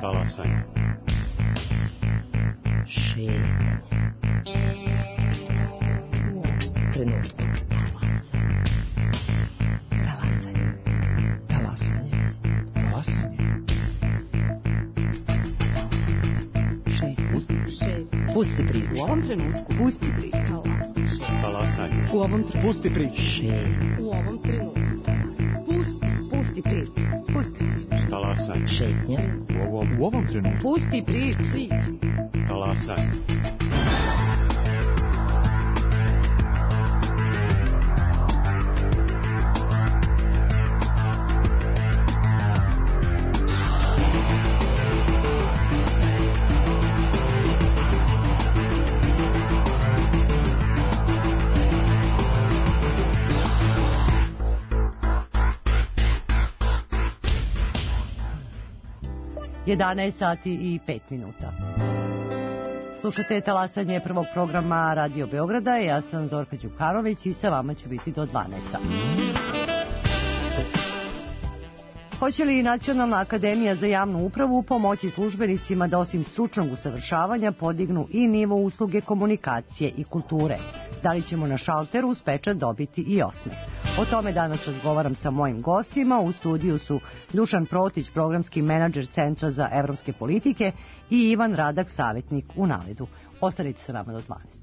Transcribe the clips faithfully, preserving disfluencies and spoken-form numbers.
Talasaj. Šetnja. Trenutku. Talasaj. Talasaj. Talasaj. Šetnja. Šetnja. Pusti priču. U ovom trenutku. Pusti priču. Talasaj. U ovom trenutku. Pusti priču. Šetnja. U ovom trenutku. Pusti. Pusti priču. Pusti priču. Talasaj. Šetnja. U ovom, U ovom trenutku. Pusti priču. talasaj. jedanaest sati i pet minuta. Slušate talasanje prvog programa Radio Beograda. Ja sam Zorka Đukarović i sa vama ću biti do dvanaest sati. Hoće li Nacionalna akademija za javnu upravu pomoći službenicima da osim stručnog usavršavanja podignu i nivo usluge komunikacije i kulture? Da li ćemo na šalteru uz pečat dobiti i osmeh? O tome danas razgovaram sa mojim gostima. U studiju su Dušan Protić, programski menadžer Centra za evropske politike, i Ivan Radak, savjetnik u Naledu. Ostanite sa nama do dvanaest.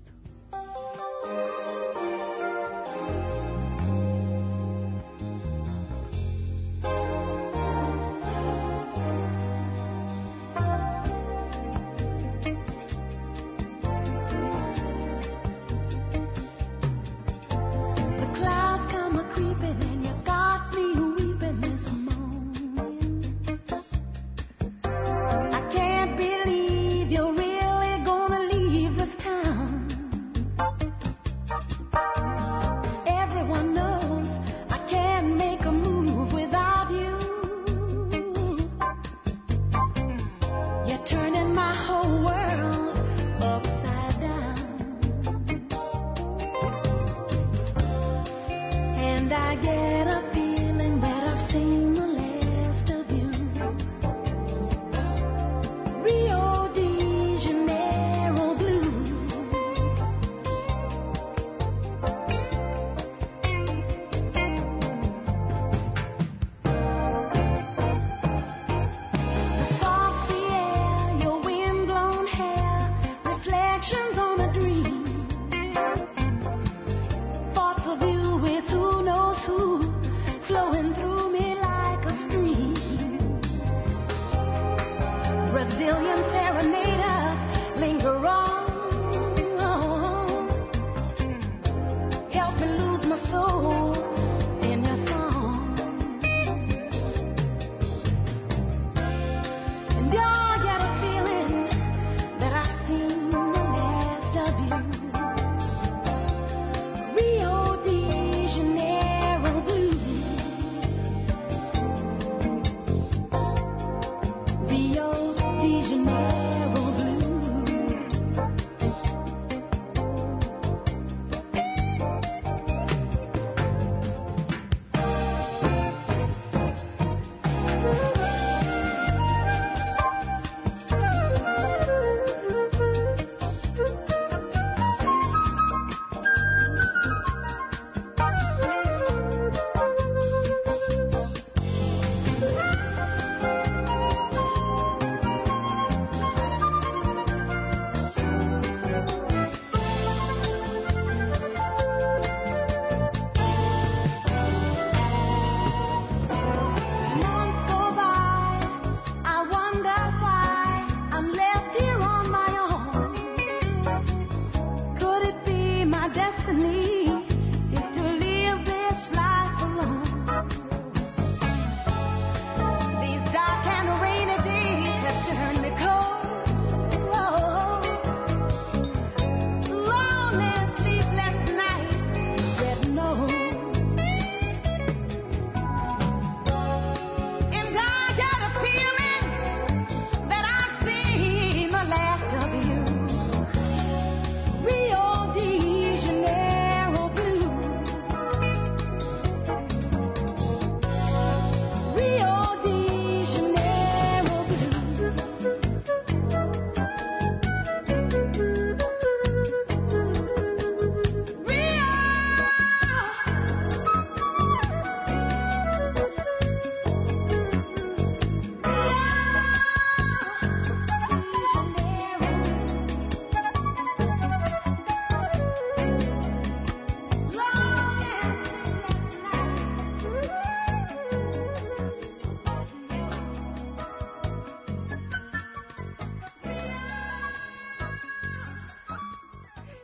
Who knows who?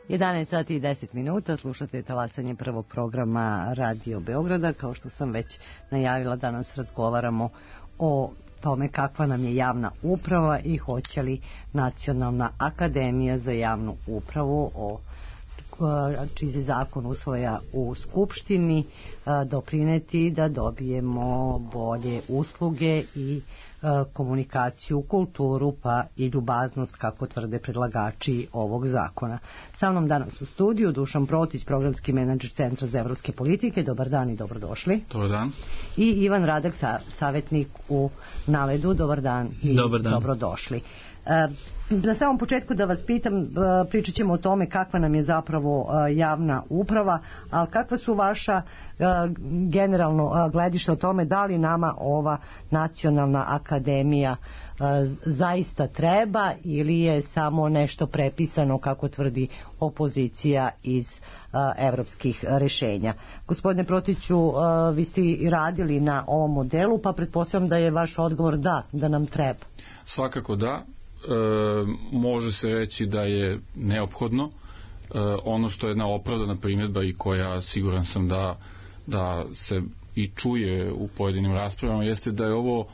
jedanaest sati i deset minuta, slušate talasanje prvog programa Radio Beograda. Kao što sam već najavila, danas razgovaramo o tome kakva nam je javna uprava i hoće li Nacionalna akademija za javnu upravu, o čiji se zakon usvaja u Skupštini, doprineti da dobijemo bolje usluge i komunikaciju, kulturu pa i ljubaznost, kako tvrde predlagači ovog zakona. Sa mnom danas u studiju Dušan Protić, programski menadžer Centra za evropske politike. Dobar dan i dobrodošli. Dobar dan. I Ivan Radak, sa, savjetnik u Naledu. Dobar dan i Dobar dan. Dobrodošli. Na samom početku da vas pitam, pričat ćemo o tome kakva nam je zapravo javna uprava, ali kakva su vaša generalno gledišta o tome da li nama ova Nacionalna akademija zaista treba ili je samo nešto prepisano, kako tvrdi opozicija, iz evropskih rešenja. Gospodine Protiću, vi ste radili na ovom modelu, pa pretpostavljam da je vaš odgovor da, da nam treba. Svakako da. E, može se reći da je neophodno. E, ono što je jedna opravdana primjedba i koja siguran sam da, da se i čuje u pojedinim raspravama jeste da je ovo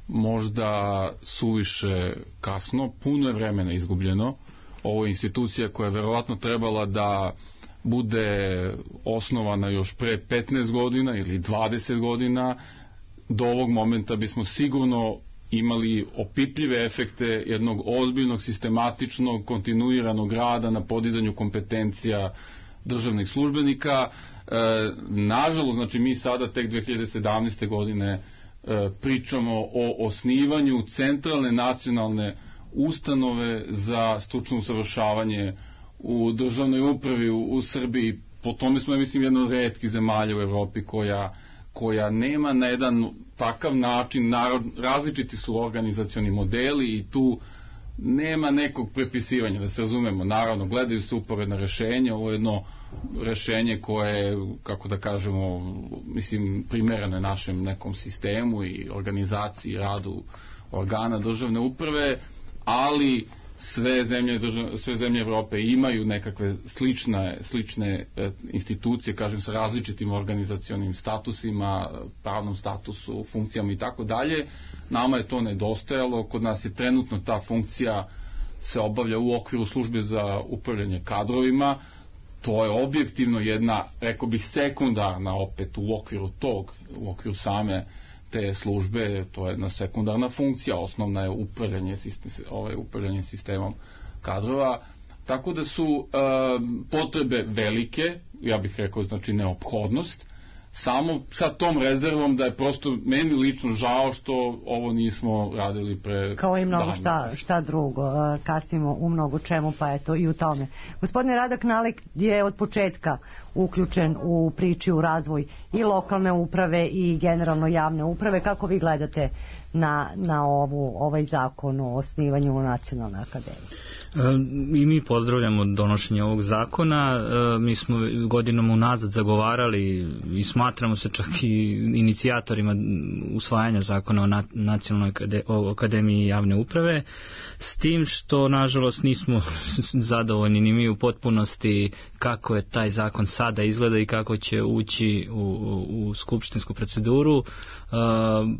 možda suviše kasno, puno je vremena izgubljeno. Ovo je institucija koja je verovatno trebala da bude osnovana još pre petnaest godina ili dvadeset godina. Do ovog momenta bismo sigurno imali opipljive efekte jednog ozbiljnog, sistematičnog, kontinuiranog rada na podizanju kompetencija državnih službenika. E, nažalost, znači mi sada tek dve hiljade sedamnaeste. godine e, pričamo o osnivanju centralne nacionalne ustanove za stručno usavršavanje u državnoj upravi u, u Srbiji. Po tome smo, ja mislim, jedna od retkih zemalja u Evropi koja koja nema na jedan takav način, narod, različiti su organizacioni modeli i tu nema nekog prepisivanja, da se razumemo. Naravno, gledaju se uporedna rešenja, ovo je jedno rešenje koje, kako da kažemo, mislim, primereno je našem nekom sistemu i organizaciji, radu organa državne uprave, ali sve zemlje, sve zemlje Evrope imaju nekakve slične, slične institucije, kažem, sa različitim organizacionim statusima, pravnom statusu, funkcijama i tako dalje. Nama je to nedostajalo, kod nas je trenutno ta funkcija se obavlja u okviru službe za upravljanje kadrovima. To je objektivno jedna, rekao bih, sekundarna opet u okviru tog, u okviru same te službe, to je jedna sekundarna funkcija, osnovna je upravljanje, sistem, ovaj, upravljanje sistemom kadrova, tako da su e, potrebe velike, ja bih rekao, znači neophodnost, samo sa tom rezervom da je prosto meni lično žao što ovo nismo radili pre... Kao i mnogo šta, šta drugo, kasnimo u mnogo čemu, pa eto i u tome. Gospodine Radak, Nalik je od početka uključen u priči, u razvoj i lokalne uprave i generalno javne uprave. Kako vi gledate na, na ovu, ovaj zakon o osnivanju Nacionalne akademije? I mi pozdravljamo donošenje ovog zakona. Mi smo godinom unazad zagovarali i smatramo se čak i inicijatorima usvajanja zakona o Nacionalnoj akademiji javne uprave, s tim što nažalost nismo zadovoljni ni mi u potpunosti kako je taj zakon sada izgleda i kako će ući u, u skupštinsku proceduru.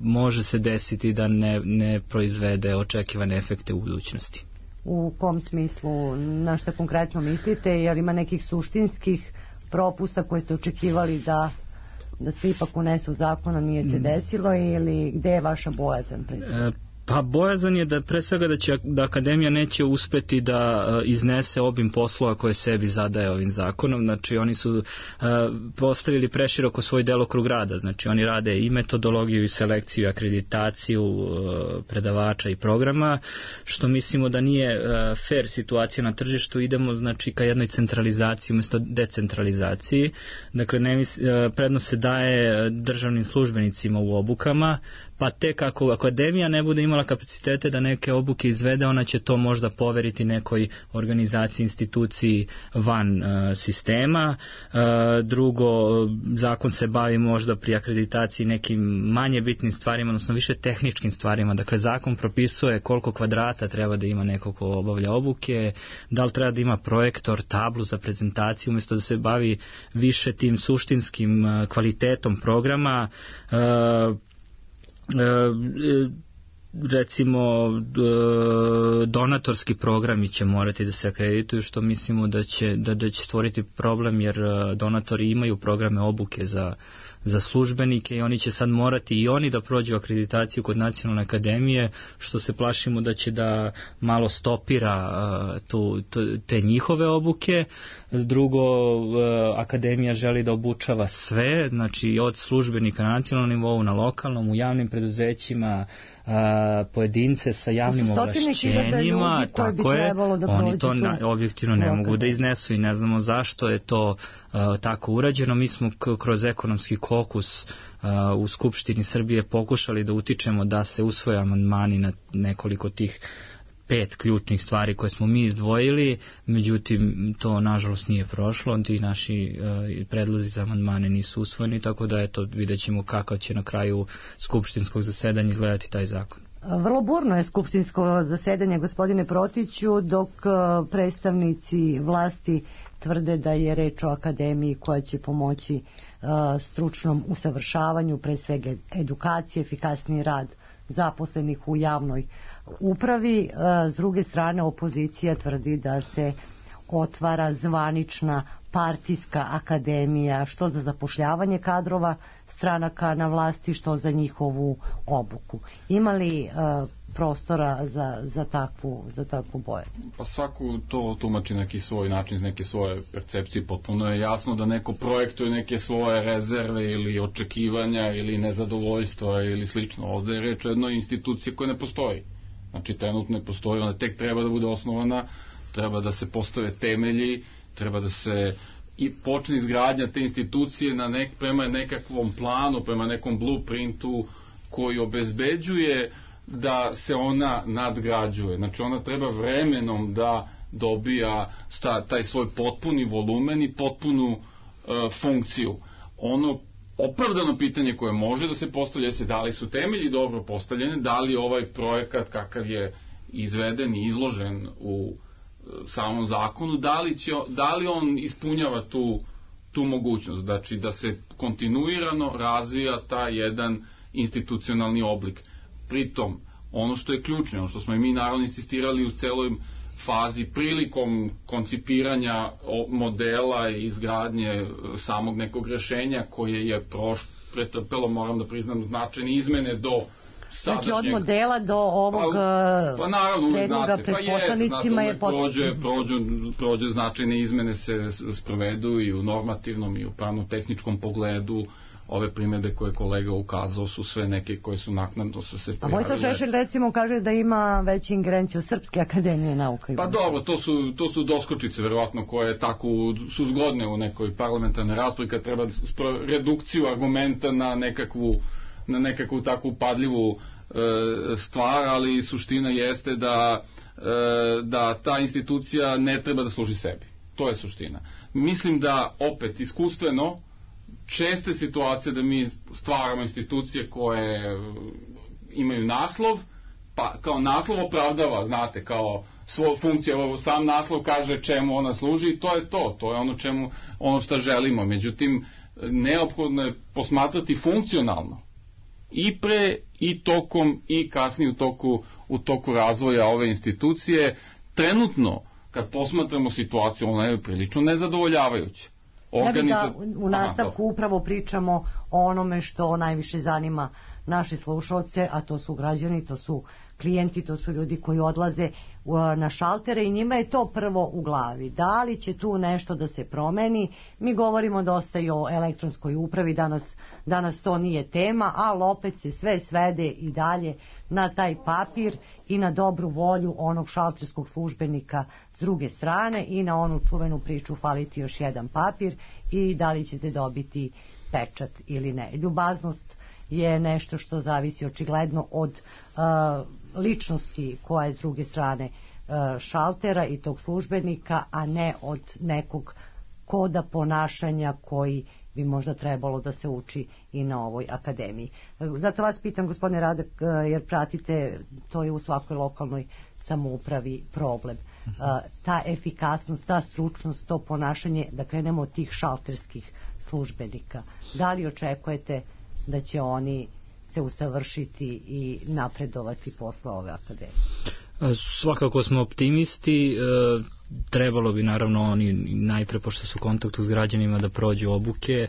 Može se desiti da ne, ne proizvede očekivane efekte u budućnosti. U kom smislu, na šta konkretno mislite, jer ima nekih suštinskih propusta koje ste očekivali da, da se ipak unesu zakona, nije se desilo, ili gde je vaša bojazan? E, pa bojazan je da pre svega da će da akademija neće uspeti da iznese obim poslova koje sebi zadaje ovim zakonom. Znači oni su uh, postavili preširoko svoj delokrug rada. Znači oni rade i metodologiju i selekciju, i akreditaciju uh, predavača i programa, što mislimo da nije uh, fair situacija na tržištu. Idemo znači ka jednoj centralizaciji umjesto decentralizaciji. Dakle ne mis, uh, prednost se daje državnim službenicima u obukama, pa tek ako akademija ne bude imala imala kapacitete da neke obuke izvede, ona će to možda poveriti nekoj organizaciji, instituciji van uh, sistema. Uh, drugo, zakon se bavi možda pri akreditaciji nekim manje bitnim stvarima, odnosno više tehničkim stvarima. Dakle, zakon propisuje koliko kvadrata treba da ima neko ko obavlja obuke, da li treba da ima projektor, tablu za prezentaciju, umjesto da se bavi više tim suštinskim uh, kvalitetom programa. Uh, uh, recimo donatorski programi će morati da se akredituju, što mislimo da će, da, da će stvoriti problem, jer donatori imaju programe obuke za, za službenike i oni će sad morati i oni da prođu akreditaciju kod Nacionalne akademije, što se plašimo da će da malo stopira tu, te njihove obuke. Drugo, akademija želi da obučava sve, znači od službenika na nacionalnom nivou, na lokalnom, u javnim preduzećima, pojedince sa javnim ovlašćenjima, tako je, oni to na, objektivno ne mogu da iznesu i ne znamo zašto je to uh, tako urađeno. Mi smo k- kroz ekonomski kokus uh, u Skupštini Srbije pokušali da utičemo da se usvoje amandmani na nekoliko tih pet ključnih stvari koje smo mi izdvojili, međutim to nažalost nije prošlo, ti naši uh, predlozi za amandmane nisu usvojeni, tako da eto, vidjet ćemo kako će na kraju skupštinskog zasedanja izgledati taj zakon. Vrlo burno je skupštinsko zasedanje, gospodine Protiću, dok predstavnici vlasti tvrde da je reč o akademiji koja će pomoći uh, stručnom usavršavanju, pre svega edukacije, efikasniji rad zaposlenih u javnoj upravi. S druge strane, opozicija tvrdi da se otvara zvanična partijska akademija, što za zapošljavanje kadrova stranaka na vlasti, što za njihovu obuku. Ima li uh, prostora za, za takvu, za takvu bojaznj? Pa svako to tumači neki svoj način, iz neke svoje percepcije. Potpuno je jasno da neko projektuje neke svoje rezerve ili očekivanja ili nezadovoljstva ili slično. Ovde je reč o jednoj instituciji koja ne postoji. Znači, trenutno ne postoji, ona tek treba da bude osnovana, treba da se postave temelji, treba da se i počne izgradnja te institucije na nek, prema nekakvom planu, prema nekom blueprintu koji obezbeđuje da se ona nadgrađuje. Znači, ona treba vremenom da dobija sta, taj svoj potpuni volumen i potpunu e, funkciju. Ono opravdano pitanje koje može da se postavlja se da li su temelji dobro postavljene, da li ovaj projekat kakav je izveden i izložen u samom zakonu, da li, će, da li on ispunjava tu, tu mogućnost, znači da se kontinuirano razvija taj jedan institucionalni oblik. Pritom, ono što je ključno, ono što smo i mi naravno insistirali u celoj fazi prilikom koncipiranja modela i izgradnje samog nekog rešenja koje je proš, pretrpelo, moram da priznam, značajne izmene do sadašnjeg... Znači od modela do ovog pa, pa naravno, predloga pred pa poslanicima je prođe, prođe, prođe značajne izmene se sprovedu i u normativnom i u pravno-tehničkom pogledu. Ove primjede koje kolega ukazao su sve neke koje su naknadno su se pojavile. A Vojislav Šešelj recimo kaže da ima veću ingerenciju Srpske akademije nauka. Pa dobro, to su, to su doskočice verovatno koje tako su zgodne u nekoj parlamentarnoj raspravi kad treba redukciju argumenta na nekakvu, na nekakvu takvu padljivu e, stvar, ali suština jeste da, e, da ta institucija ne treba da služi sebi. To je suština. Mislim da opet iskustveno česte situacije da mi stvaramo institucije koje imaju naslov, pa kao naslov opravdava, znate, kao svoju funkciju, sam naslov kaže čemu ona služi i to je to, to je ono čemu, ono što želimo. Međutim, neophodno je posmatrati funkcionalno i pre, i tokom, i kasnije u toku, u toku razvoja ove institucije. Trenutno, kad posmatramo situaciju, ona je prilično nezadovoljavajuća. Ja bih da u nastavku upravo pričamo o onome što najviše zanima naše slušalce, a to su građani, to su klijenti, to su ljudi koji odlaze na šaltere i njima je to prvo u glavi. Da li će tu nešto da se promeni? Mi govorimo dosta i o elektronskoj upravi, danas, danas to nije tema, ali opet se sve svede i dalje na taj papir i na dobru volju onog šalterskog službenika s druge strane i na onu čuvenu priču faliti još jedan papir i da li ćete dobiti pečat ili ne. Ljubaznost je nešto što zavisi očigledno od uh, ličnosti koja je s druge strane uh, šaltera i tog službenika, a ne od nekog koda ponašanja koji bi možda trebalo da se uči i na ovoj akademiji. Zato vas pitam, gospodine Radak, jer pratite, to je u svakoj lokalnoj samoupravi problem. Ta efikasnost, ta stručnost, to ponašanje, da krenemo od tih šalterskih službenika. Da li očekujete da će oni se usavršiti i napredovati posle ove akademije? Svakako smo optimisti, trebalo bi naravno oni najpre, pošto su u kontaktu s građanima, da prođu obuke.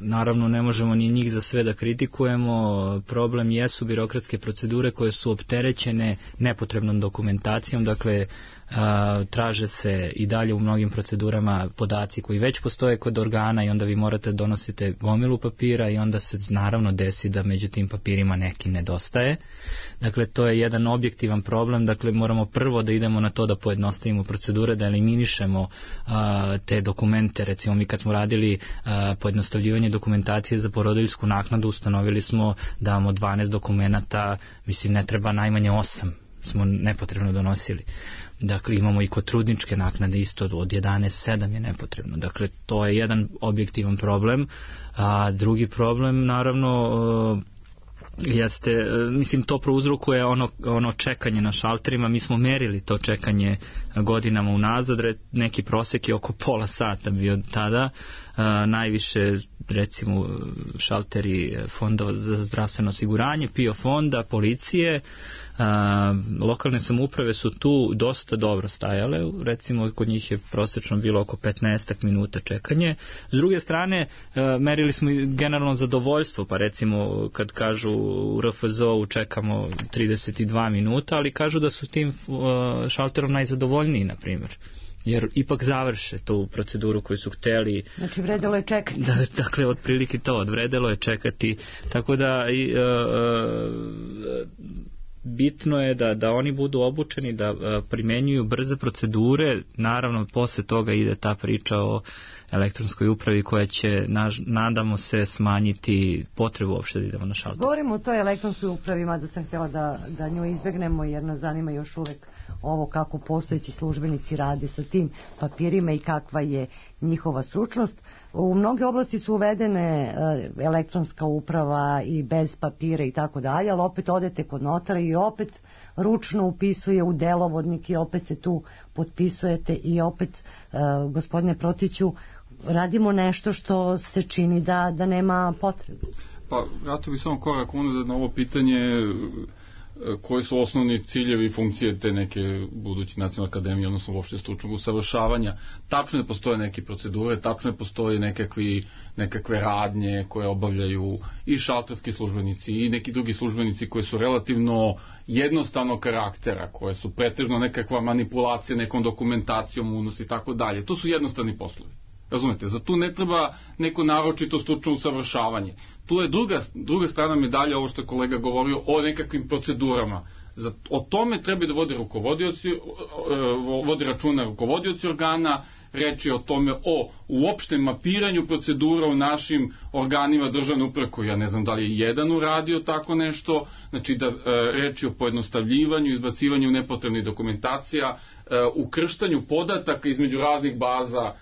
Naravno ne možemo ni njih za sve da kritikujemo, problem jesu birokratske procedure koje su opterećene nepotrebnom dokumentacijom, dakle traže se i dalje u mnogim procedurama podaci koji već postoje kod organa i onda vi morate donosite gomilu papira i onda se naravno desi da među tim papirima neki nedostaje. Dakle, to je jedan objektivan problem, dakle moramo prvo da idemo na to da pojednostavimo procedure, da eliminišemo a, te dokumente. Recimo mi kad smo radili a, pojednostavljivanje dokumentacije za porodiljsku naknadu, ustanovili smo da imamo dvanaest dokumenata, mislim ne treba najmanje osam, smo nepotrebno donosili. Dakle, imamo i kod trudničke naknade isto od jedanaest sedam je nepotrebno. Dakle, to je jedan objektivan problem. A drugi problem, naravno, jeste, mislim, to prouzrokuje ono, ono čekanje na šalterima. Mi smo merili to čekanje godinama unazad, neki prosek je oko pola sata bio tada. A, najviše, recimo, šalteri fonda za zdravstveno osiguranje, P I O fonda, policije. A, lokalne samouprave su tu dosta dobro stajale, recimo kod njih je prosečno bilo oko petnaest minuta čekanje. S druge strane, a, merili smo i generalno zadovoljstvo, pa recimo kad kažu u R F Z O-u čekamo trideset dva minuta, ali kažu da su tim a, šalterom najzadovoljniji, na primjer, jer ipak završe tu proceduru koju su hteli. Znači vredelo je čekati. Da, dakle, otprilike to, odvredelo je čekati, tako da i, a, a, bitno je da, da oni budu obučeni, da a, primenjuju brze procedure. Naravno, posle toga ide ta priča o elektronskoj upravi koja će, naž, nadamo se, smanjiti potrebu uopšte da idemo na šalter. Govorimo o toj elektronskoj upravi, mada sam htjela da, da nju izbegnemo, jer nas zanima još uvek ovo kako postojeći službenici rade sa tim papirima i kakva je njihova stručnost. U mnoge oblasti su uvedene elektronska uprava i bez papira i tako dalje, ali opet odete kod notara i opet ručno upisuje u delovodnik i opet se tu potpisujete i opet, gospodine Protiću, radimo nešto što se čini da, da nema potrebe. Pa, vratio bih samo korak unazad na ovo pitanje koji su osnovni ciljevi i funkcije te neke buduće nacionalne akademije, odnosno uopšte stručnog usavršavanja. Tačno ne postoje neke procedure, tačno ne postoje nekakvi, nekakve radnje koje obavljaju i šalterski službenici i neki drugi službenici koji su relativno jednostavnog karaktera, koje su pretežno nekakva manipulacija nekom dokumentacijom, unos i tako dalje. To su jednostavni poslovi. Razumete, za tu ne treba neko naročito stručno usavršavanje. Tu je druga, druga strana medalja, ovo što je kolega govorio, o nekakvim procedurama. Za, o tome treba da vodi rukovodioci, vodi računa rukovodioci organa, reči o tome o uopštem mapiranju procedura u našim organima državne uprave, koji ja ne znam da li je jedan uradio tako nešto, znači da reči o pojednostavljivanju, izbacivanju nepotrebnih dokumentacija, ukrštanju podataka između raznih baza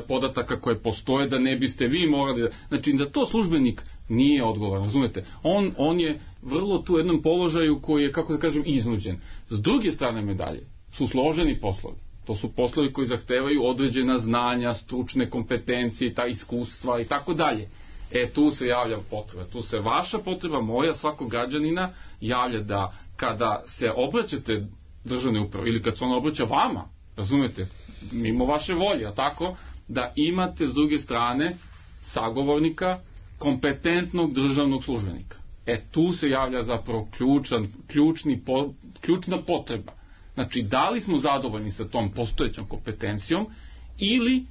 podataka koje postoje, da ne biste vi morali da... Znači, da to službenik nije odgovoran, razumete? On, on je vrlo tu u jednom položaju koji je, kako da kažem, iznuđen. S druge strane medalje su složeni poslovi. To su poslovi koji zahtevaju određena znanja, stručne kompetencije, ta iskustva i tako dalje. E, tu se javlja potreba. Tu se vaša potreba, moja, svakog građanina, javlja da kada se obraćate državne uprave ili kad se ona obraća vama, razumete, mimo vaše volje, a tako, da imate s druge strane sagovornika, kompetentnog državnog službenika. E, tu se javlja zapravo ključan, ključni, po, ključna potreba. Znači, da li smo zadovoljni sa tom postojećom kompetencijom ili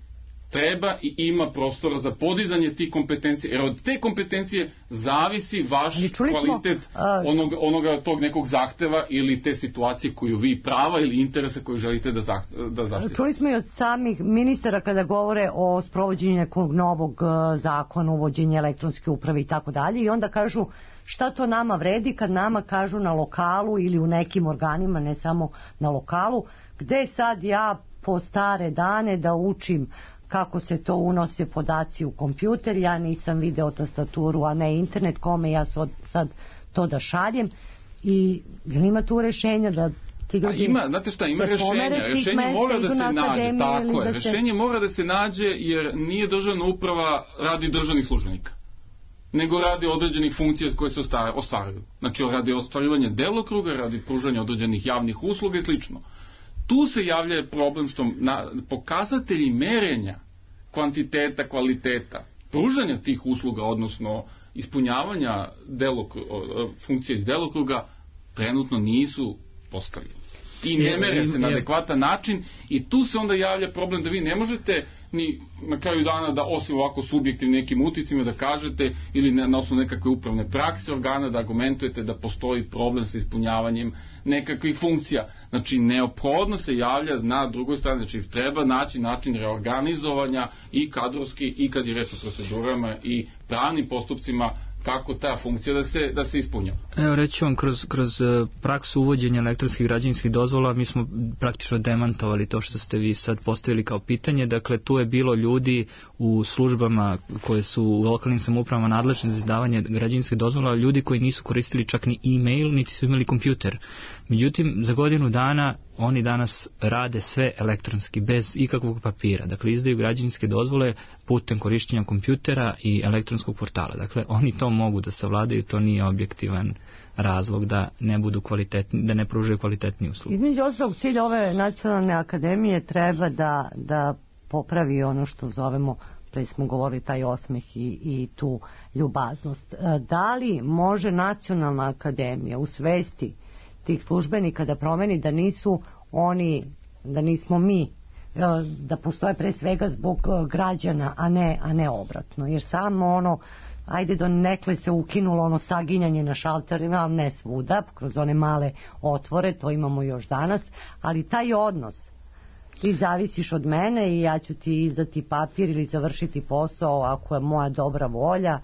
treba i ima prostora za podizanje tih kompetencija, jer od te kompetencije zavisi vaš kvalitet smo, a... onoga, onoga tog nekog zahteva ili te situacije koju vi prava ili interese koju želite da, zah, da zaštite. Čuli smo i od samih ministara kada govore o sprovođenju nekog novog zakona, uvođenja elektronske uprave i tako dalje, i onda kažu šta to nama vredi kad nama kažu na lokalu ili u nekim organima, ne samo na lokalu, gde sad ja po stare dane da učim kako se to unose podaci u kompjuter, ja nisam video tastaturu, a ne internet, kome ja sad to da šaljem. I ima tu rešenja da ti ljudi... A ima, znate šta, ima rešenja. Rešenje mora da se nađe, tako je. Rešenje mora da se nađe jer nije državna uprava radi državnih službenika, nego radi određenih funkcija koje se ostvaruju. Znači, radi ostvarivanja delokruga, radi pružanja određenih javnih usluga i slično. Tu se javlja problem što na, pokazatelji merenja kvantiteta, kvaliteta, pružanja tih usluga, odnosno ispunjavanja delokruga, funkcija iz delokruga, trenutno nisu postavljeni. I ne mere se na adekvatan način i tu se onda javlja problem da vi ne možete ni na kraju dana da osim ovako subjektivnim nekim uticima da kažete ili na, na osnovu nekakve upravne prakse organa da argumentujete da postoji problem sa ispunjavanjem nekakvih funkcija. Znači neophodno se javlja na drugoj strani, znači treba naći način reorganizovanja i kadrovski i kad je reč o procedurama i pravnim postupcima kako ta funkcija da se, da se ispunja. Evo reći vam, kroz, kroz praksu uvođenja elektronskih građevinskih dozvola mi smo praktično demantovali to što ste vi sad postavili kao pitanje. Dakle, tu je bilo ljudi u službama koje su u lokalnim samoupravama nadležne za izdavanje građevinskih dozvola, ljudi koji nisu koristili čak ni e-mail, niti su imali kompjuter. Međutim, za godinu dana oni danas rade sve elektronski, bez ikakvog papira. Dakle, izdaju građevinske dozvole putem korištenja kompjutera i elektronskog portala. Dakle, oni to mogu da savladaju, to nije objektivan razlog da ne budu kvalitetni, da ne pružaju kvalitetnije usluge. Između ostalog, cilj ove nacionalne akademije treba da, da popravi ono što zovemo, pre smo govorili, taj osmeh i, i tu ljubaznost. Da li može nacionalna akademija u svesti tih službenika da promeni da nisu oni, da nismo mi, da postoje pre svega zbog građana, a ne, a ne obratno. Jer samo ono, ajde do nekle se ukinulo ono saginjanje na šalterima, ne svuda, kroz one male otvore, to imamo još danas, ali taj odnos, ti zavisiš od mene i ja ću ti izdati papir ili završiti posao ako je moja dobra volja.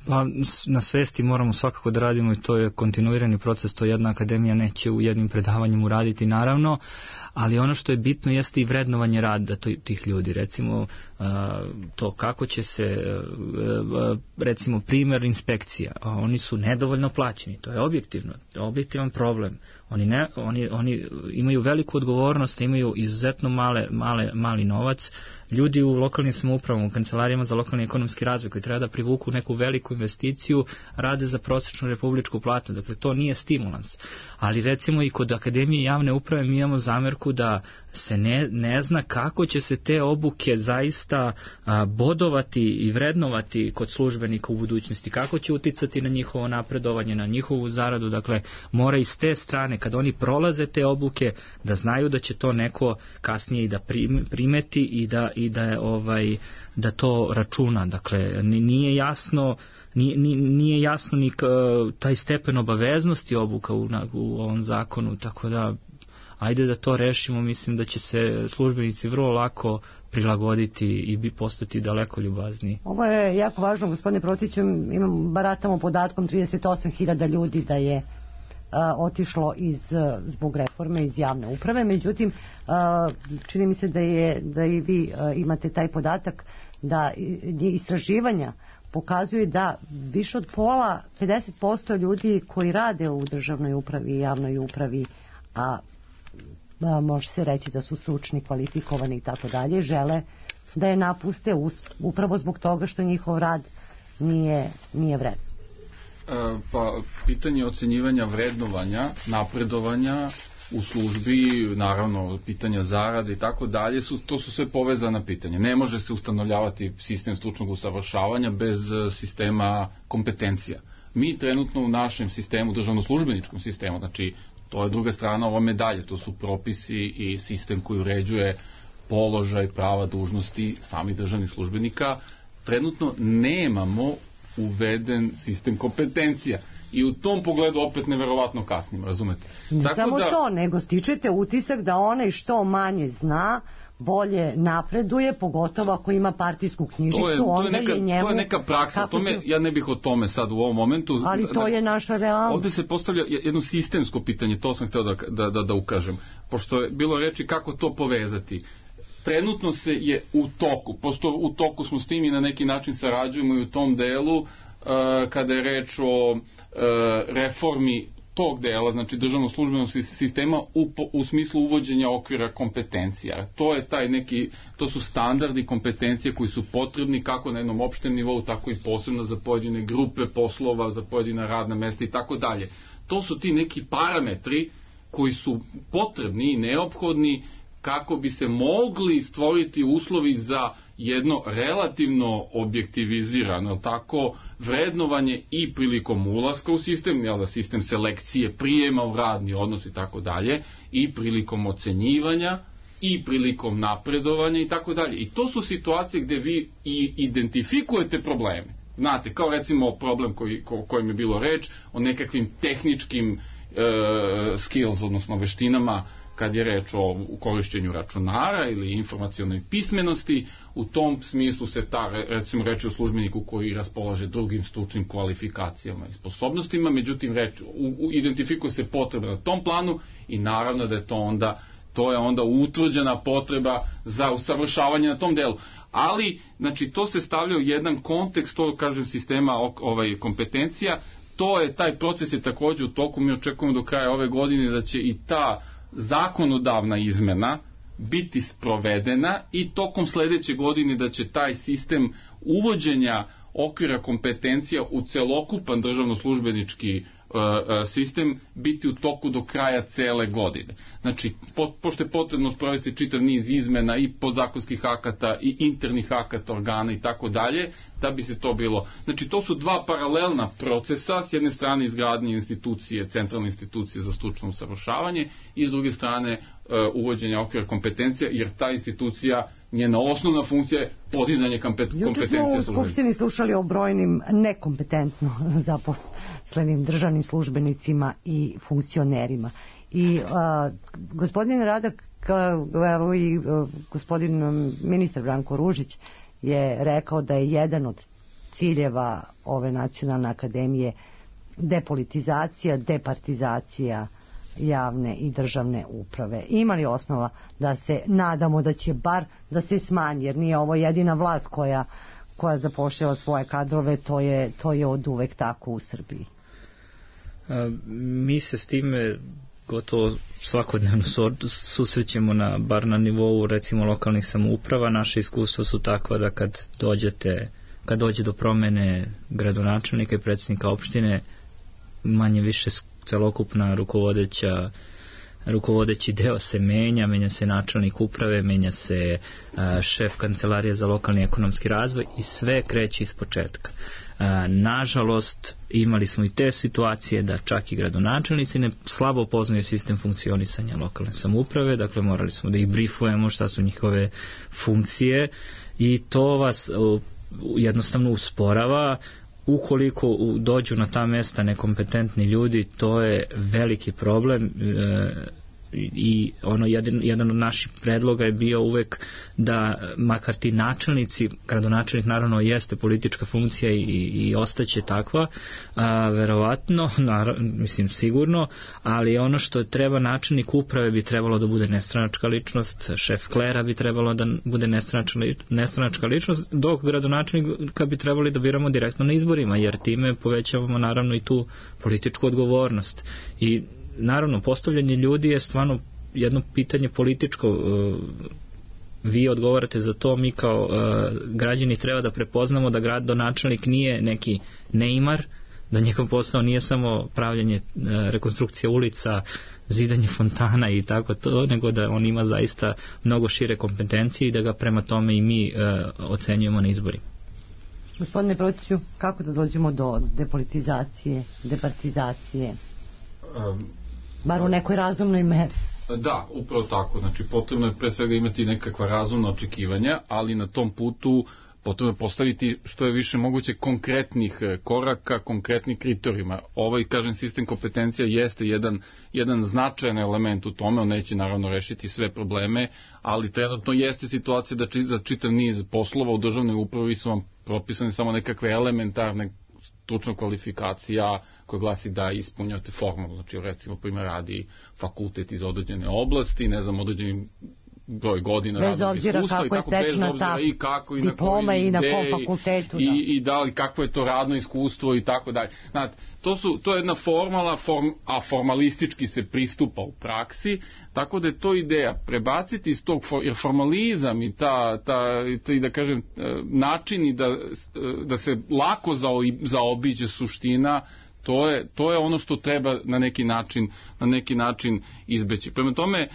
Pa, na svesti moramo svakako da radimo i to je kontinuirani proces, to jedna akademija neće u jednim predavanjem uraditi naravno, ali ono što je bitno jeste i vrednovanje rada tih ljudi, recimo to kako će se, recimo primjer inspekcija, oni su nedovoljno plaćeni, to je objektivno, objektivan problem, oni, ne, oni, oni imaju veliku odgovornost, imaju izuzetno male, male, mali novac, ljudi u lokalnim samoupravama, u kancelarijama za lokalni ekonomski razvoj koji treba da privuku neku veliku investiciju, rade za prosječnu republičku platu, dakle to nije stimulans, ali recimo i kod Akademije javne uprave mi imamo zamerku da se ne, ne zna kako će se te obuke zaista a, bodovati i vrednovati kod službenika u budućnosti, kako će uticati na njihovo napredovanje, na njihovu zaradu, dakle mora iz te strane kad oni prolaze te obuke da znaju da će to neko kasnije i da primeti i da, i da je ovaj da to računa, dakle nije jasno Nije, nije jasno ni taj stepen obaveznosti obuka u, u ovom zakonu, tako da ajde da to rešimo, mislim da će se službenici vrlo lako prilagoditi i bi postati daleko ljubazniji. Ovo je jako važno, gospodine Protiću, imam, baratamo podatkom trideset osam hiljada ljudi da je a, otišlo iz, zbog reforme iz javne uprave, međutim a, čini mi se da, je, da i vi a, imate taj podatak da istraživanja pokazuje da više od pola, pedeset posto ljudi koji rade u državnoj upravi i javnoj upravi, a, a može se reći da su stručni, kvalifikovani i tako dalje, žele da je napuste us, upravo zbog toga što njihov rad nije, nije vredno. E, pa, pitanje ocenjivanja vrednovanja, napredovanja u službi, naravno pitanja zarade i tako dalje, su, to su sve povezana pitanja. Ne može se ustanovljavati sistem stručnog usavršavanja bez sistema kompetencija. Mi trenutno u našem sistemu, državno-službeničkom sistemu, znači to je druga strana ova medalje, to su propisi i sistem koji uređuje položaj, prava, dužnosti samih državnih službenika. Trenutno nemamo uveden sistem kompetencija. I u tom pogledu opet neverovatno kasnimo, razumete? Ne Tako samo da, to, nego stičete utisak da onaj što manje zna, bolje napreduje, pogotovo ako ima partijsku knjižicu, to je, to je onda neka, je njemu... to je neka praksa, tome, će... ja ne bih o tome sad u ovom momentu. Ali to je naša realnost. Ovde se postavlja jedno sistemsko pitanje, to sam hteo da, da, da, da ukažem, pošto je bilo reči kako to povezati. Trenutno se je u toku, posto u toku smo s tim i na neki način sarađujemo i u tom delu, uh, kada je reč o uh, reformi tog dela, znači državnog službenog sistema u, u smislu uvođenja okvira kompetencija. To je taj neki, to su standardi kompetencije koji su potrebni kako na jednom opštem nivou, tako i posebno za pojedine grupe poslova, za pojedina radna mesta i tako dalje. To su ti neki parametri koji su potrebni i neophodni kako bi se mogli stvoriti uslovi za jedno relativno objektivizirano tako vrednovanje i prilikom ulaska u sistem, jel da, sistem selekcije, prijema u radni odnos i tako dalje, i prilikom ocenjivanja i prilikom napredovanja i tako dalje. I to su situacije gde vi i identifikujete probleme. Znate, kao recimo problem koji, ko, kojim je bilo reč o nekakvim tehničkim e, skills, odnosno veštinama, kad je reč o korišćenju računara ili informacionoj pismenosti. U tom smislu se ta, recimo, reči o službeniku koji raspolaže drugim stručnim kvalifikacijama i sposobnostima, međutim reč, u, u, identifikuje se potreba na tom planu i naravno da je to onda to je onda utvrđena potreba za usavršavanje na tom delu. Ali, znači, to se stavlja u jedan kontekst, to kažem, sistema ovaj, kompetencija. To je, taj proces je takođe u toku, mi očekujemo do kraja ove godine da će i ta zakonodavna izmena biti sprovedena i tokom sledeće godine da će taj sistem uvođenja okvira kompetencija u celokupan državno-službenički sistem biti u toku do kraja cele godine. Znači, po, pošto je potrebno sprovesti čitav niz izmena i podzakonskih akata i internih akata organa i tako dalje, da bi se to bilo. Znači, to su dva paralelna procesa, s jedne strane izgradnje institucije, centralne institucije za stručno usavršavanje i s druge strane uvođenja okvira kompetencija, jer ta institucija, njena osnovna funkcija je podizanje kompetencija službenika. Juče smo u Skupštini slušali o brojnim nekompetentno zaposlenim državnim službenicima i funkcionerima. I a, gospodin Radak, evo i a, gospodin ministar Branko Ružić je rekao da je jedan od ciljeva ove nacionalne akademije depolitizacija, departizacija javne i državne uprave. Ima li osnova da se nadamo da će bar da se smanji, jer nije ovo jedina vlast koja, koja zapošljava svoje kadrove, to je, to je od uvek tako u Srbiji. A, mi se s time gotovo svakodnevno susrećemo na, bar na nivou recimo lokalnih samouprava. Naše iskustva su takva da kad dođete, kad dođe do promene gradonačelnika i predsjednika opštine, manje više celokupna rukovodeća rukovodeći deo se menja, menja se načelnik uprave, menja se a, šef kancelarije za lokalni ekonomski razvoj i sve kreće iz početka. A, nažalost, imali smo i te situacije da čak i gradonačelnici ne slabo poznaju sistem funkcionisanja lokalne samouprave, dakle morali smo da ih brifujemo šta su njihove funkcije i to vas o, jednostavno usporava. Ukoliko dođu na ta mesta nekompetentni ljudi, to je veliki problem e, i ono jedan, jedan od naših predloga je bio uvek da makar ti načelnici, gradonačelnik naravno jeste politička funkcija i, i ostaće takva, a, verovatno, naravno, mislim sigurno, ali ono što treba, načelnik uprave bi trebalo da bude nestranačka ličnost, šef klera bi trebalo da bude nestranačka, nestranačka ličnost, dok gradonačelnika bi trebali da biramo direktno na izborima, jer time povećavamo naravno i tu političku odgovornost. I naravno, postavljanje ljudi je stvarno jedno pitanje političko. Vi odgovarate za to, mi kao građani treba da prepoznamo da gradonačelnik nije neki neimar, da njegov posao nije samo pravljanje rekonstrukcije ulica, zidanje fontana i tako to, nego da on ima zaista mnogo šire kompetencije i da ga prema tome i mi ocenjujemo na izborima. Gospodine Protiću, kako da dođemo do depolitizacije, departizacije? Um, bar u nekoj razumnoj meri. Da, upravo tako. Znači, potrebno je pre svega imati nekakva razumna očekivanja, ali na tom putu potrebno je postaviti što je više moguće konkretnih koraka, konkretnih kriterijuma. Ovaj, kažem, sistem kompetencija jeste jedan, jedan značajan element u tome, on neće naravno rešiti sve probleme, ali trenutno jeste situacija da či, za čitav niz poslova u državnoj upravi su vam propisane samo nekakve elementarne stručna kvalifikacija koja glasi da ispunjate formu, znači recimo primjer radi fakultet iz određene oblasti, ne znam, određeni broj godina radnog iskustva i tako, bez obzira i kako i na koji i na kom fakultetu, i, da. i da li kakvo je to radno iskustvo i tako dalje. Znate, to, su, to je jedna formala, form, a formalistički se pristupa u praksi, tako da je to ideja prebaciti iz tog, jer formalizam i ta, ta, ta i da kažem, načini da, da se lako zaobiđe suština, To je, to je ono što treba na neki način, na neki način izbeći. Prema tome,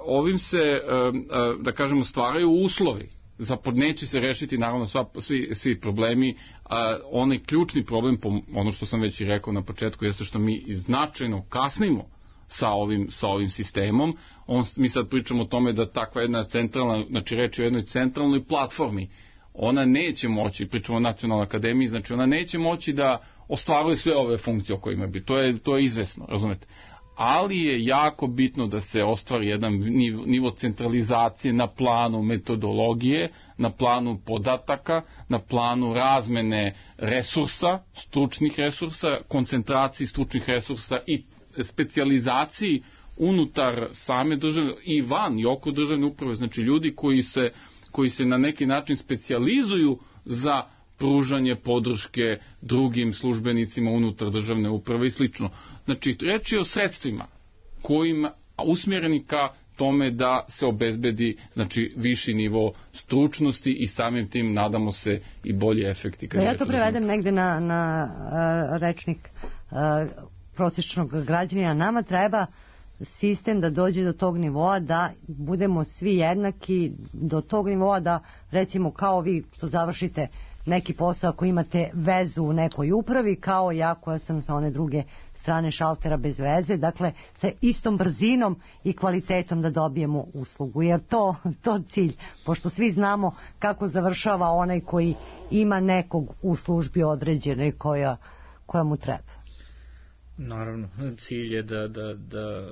ovim se, da kažemo, stvaraju uslovi. Zapod neće se rešiti naravno sva, svi, svi problemi, a onaj ključni problem, po ono što sam već i rekao na početku, jeste što mi značajno kasnimo sa ovim, sa ovim sistemom. On, mi sad pričamo o tome da takva jedna centralna, znači reč je o jednoj centralnoj platformi, ona neće moći, pričamo o Nacionalnoj akademiji, znači ona neće moći da ostvaruje sve ove funkcije o kojima bi. To je, to je izvesno, razumete. Ali je jako bitno da se ostvari jedan nivo, nivo centralizacije na planu metodologije, na planu podataka, na planu razmene resursa, stručnih resursa, koncentraciji stručnih resursa i specijalizaciji unutar same države i van i oko državne uprave, znači ljudi koji se, koji se na neki način specijalizuju za pružanje podrške drugim službenicima unutar državne uprave i slično. Znači, reč je o sredstvima kojima usmjereni ka tome da se obezbedi, znači, viši nivo stručnosti i samim tim nadamo se i bolji efekti. Da ja to prevedem negde na, na uh, rečnik uh, prosječnog građanina. Nama treba sistem da dođe do tog nivoa da budemo svi jednaki, do tog nivoa da, recimo, kao vi što završite neki posao ako imate vezu u nekoj upravi, kao ja koja sam sa one druge strane šaltera bez veze, dakle sa istom brzinom i kvalitetom da dobijemo uslugu. Jer to, to cilj, pošto svi znamo kako završava onaj koji ima nekog u službi određenoj koja, koja mu treba. Naravno, cilj je da, da, da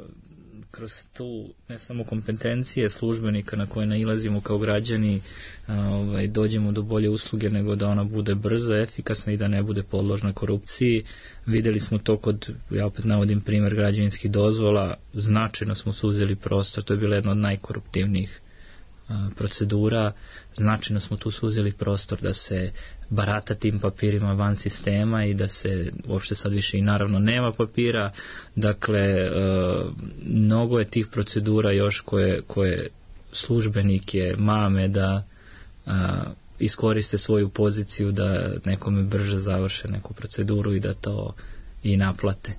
kroz tu ne samo kompetencije službenika na koje nailazimo kao građani ovaj, dođemo do bolje usluge, nego da ona bude brza, efikasna i da ne bude podložna korupciji. Videli smo to kod, ja opet navodim primjer građevinskih dozvola, značajno smo suzili prostor, to je bila jedna od najkoruptivnijih procedura, značajno smo tu suzili prostor da se barata tim papirima van sistema i da se uopšte sad više i naravno nema papira, dakle mnogo je tih procedura još koje, koje službenike mame da iskoriste svoju poziciju da nekome brže završe neku proceduru i da to i naplate.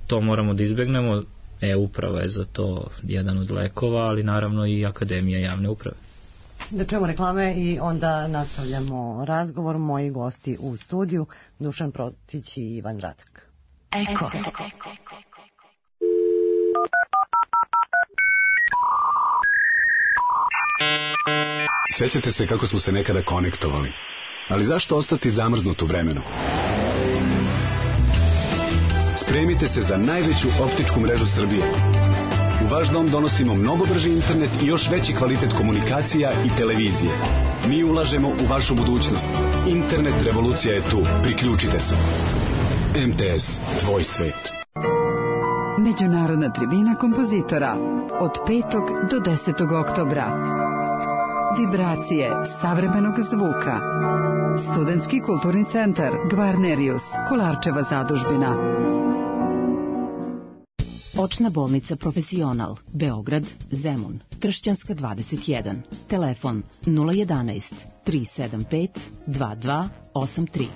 To moramo da izbegnemo. E-uprava je za to jedan od lekova, ali naravno i Akademija javne uprave. Da čujemo reklame i onda nastavljamo razgovor. Moji gosti u studiju, Dušan Protić i Ivan Radak. Eko. Sećate se kako smo se nekada konektovali, ali zašto ostati zamrznut u vremenu? Spremite se za najveću optičku mrežu Srbije. U vaš dom donosimo mnogo brži internet i još veći kvalitet komunikacija i televizije. Mi ulažemo u vašu budućnost. Internet revolucija je tu. Priključite se. M T S, tvoj svet. Međunarodna tribina kompozitora od petog do desetog oktobra. Vibracije savremenog zvuka. Studentski kulturni centar Gvarnerius, Kolarčeva zadužbina. Očna bolnica Profesional, Beograd, Zemun, Kršćanska dvadeset jedan. Telefon nula jedanaest tri sedam pet dva dva osam tri.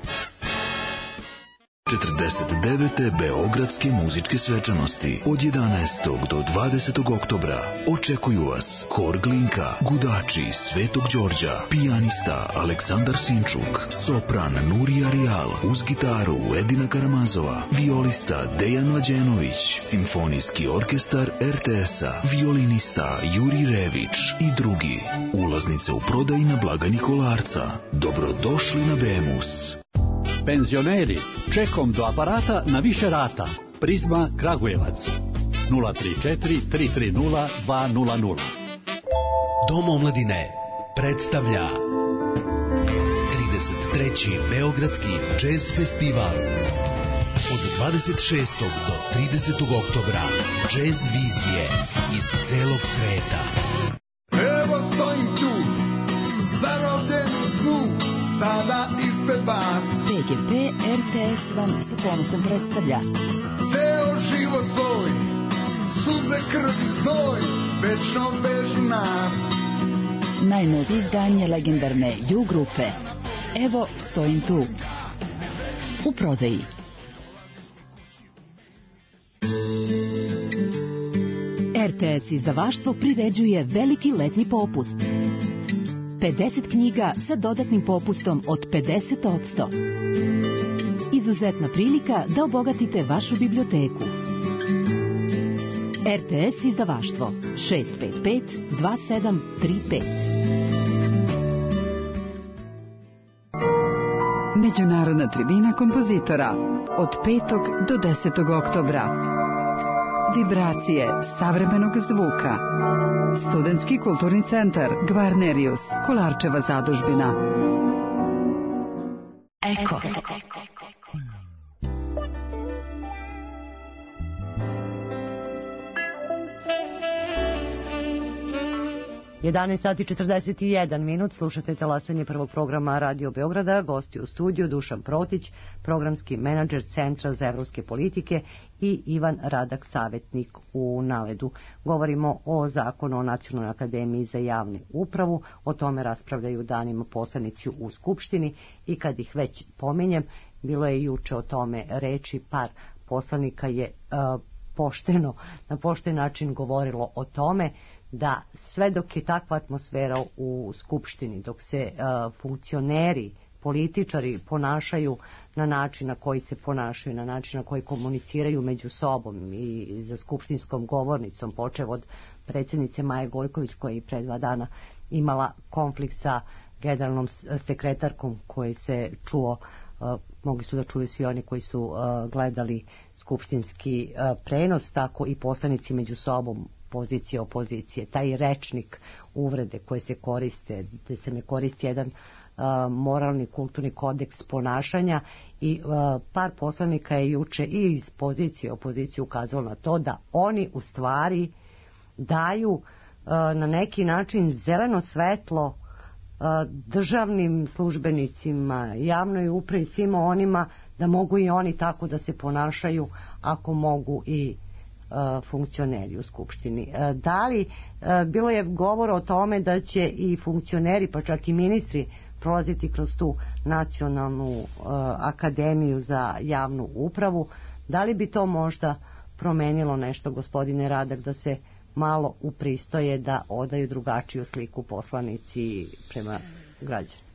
četrdeset devete Beogradske muzičke svečanosti od jedanaestog do dvadesetog oktobra očekuju vas Hor Glinka, gudači Svetog Đorđa, pijanista Aleksandar Sinčuk, sopran Nurija Rijal, uz gitaru Edina Karamazova, violista Dejan Mlađenović, simfonijski orkestar er te es-a, violinista Juri Rević i drugi. Ulaznice u prodaji na blagajni Kolarca. Dobrodošli na Bemus. Penzioneri, čekom do aparata na više rata. Prizma Kragujevac. nula tri četiri tri tri nula dva nula nula. Dom omladine predstavlja trideset treći Beogradski džez festival. Od dvadeset šestog do tridesetog oktobra džez vizije iz celog sveta. Evo stojim tu, zarobljen u snu, sada ispred vas. P G P er te es vam sa ponosom predstavlja Ceo život svoj, suze, krv i znoj, večno vežu nas. najnovije izdanje legendarne U grupe. Evo stojim tu. U prodaji. er te es izdavaštvo priređuje veliki letnji popust. pedeset knjiga sa dodatnim popustom od pedeset posto. Izuzetna prilika da obogatite vašu biblioteku. er te es izdavaštvo šest pet pet dva sedam tri pet. Međunarodna tribina kompozitora od petog do desetog oktobra. Vibracije savremenog zvuka. Studentski kulturni centar Gvarnerius, Kolarčeva zadužbina. Eko. jedanaest sati četrdeset jedan minut, slušate talasanje prvog programa Radio Beograda, gosti u studiju Dušan Protić, programski menadžer Centra za evropske politike i Ivan Radak, savjetnik u Naledu. Govorimo o zakonu o Nacionalnoj akademiji za javnu upravu, o tome raspravljaju danima poslanici u Skupštini i kad ih već pominjem, bilo je juče o tome reči, par poslanika je uh, pošteno, na pošten način govorilo o tome da sve dok je takva atmosfera u Skupštini, dok se uh, funkcioneri, političari ponašaju na način na koji se ponašaju, na način na koji komuniciraju među sobom i za skupštinskom govornicom, počev od predsjednice Maje Gojković koja je pre dva dana imala konflikt sa generalnom sekretarkom koji se čuo, uh, mogli su da čuju svi oni koji su uh, gledali skupštinski uh, prenos, tako i poslanici među sobom, pozicije, opozicije, taj rečnik uvrede koje se koriste, da se ne koristi jedan uh, moralni, kulturni kodeks ponašanja i uh, par poslanika je juče i iz pozicije, opozicije ukazalo na to da oni u stvari daju uh, na neki način zeleno svetlo uh, državnim službenicima, javnoj upravi, svima onima da mogu i oni tako da se ponašaju ako mogu i funkcioneri u Skupštini. Da li, bilo je govora o tome da će i funkcioneri, pa čak i ministri prolaziti kroz tu Nacionalnu akademiju za javnu upravu. Da li bi to možda promenilo nešto, gospodine Radak, da se malo upristoje, da odaju drugačiju sliku poslanici prema građanima?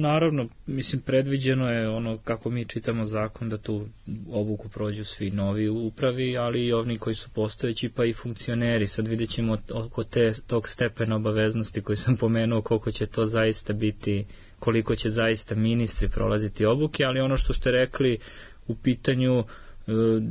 Naravno, mislim, predviđeno je ono kako mi čitamo zakon da tu obuku prođu svi novi upravi, ali i oni koji su postojeći, pa i funkcioneri. Sad vidjet ćemo oko te, tog stepena obaveznosti koji sam pomenuo, koliko će to zaista biti, koliko će zaista ministri prolaziti obuke, ali ono što ste rekli u pitanju, Uh,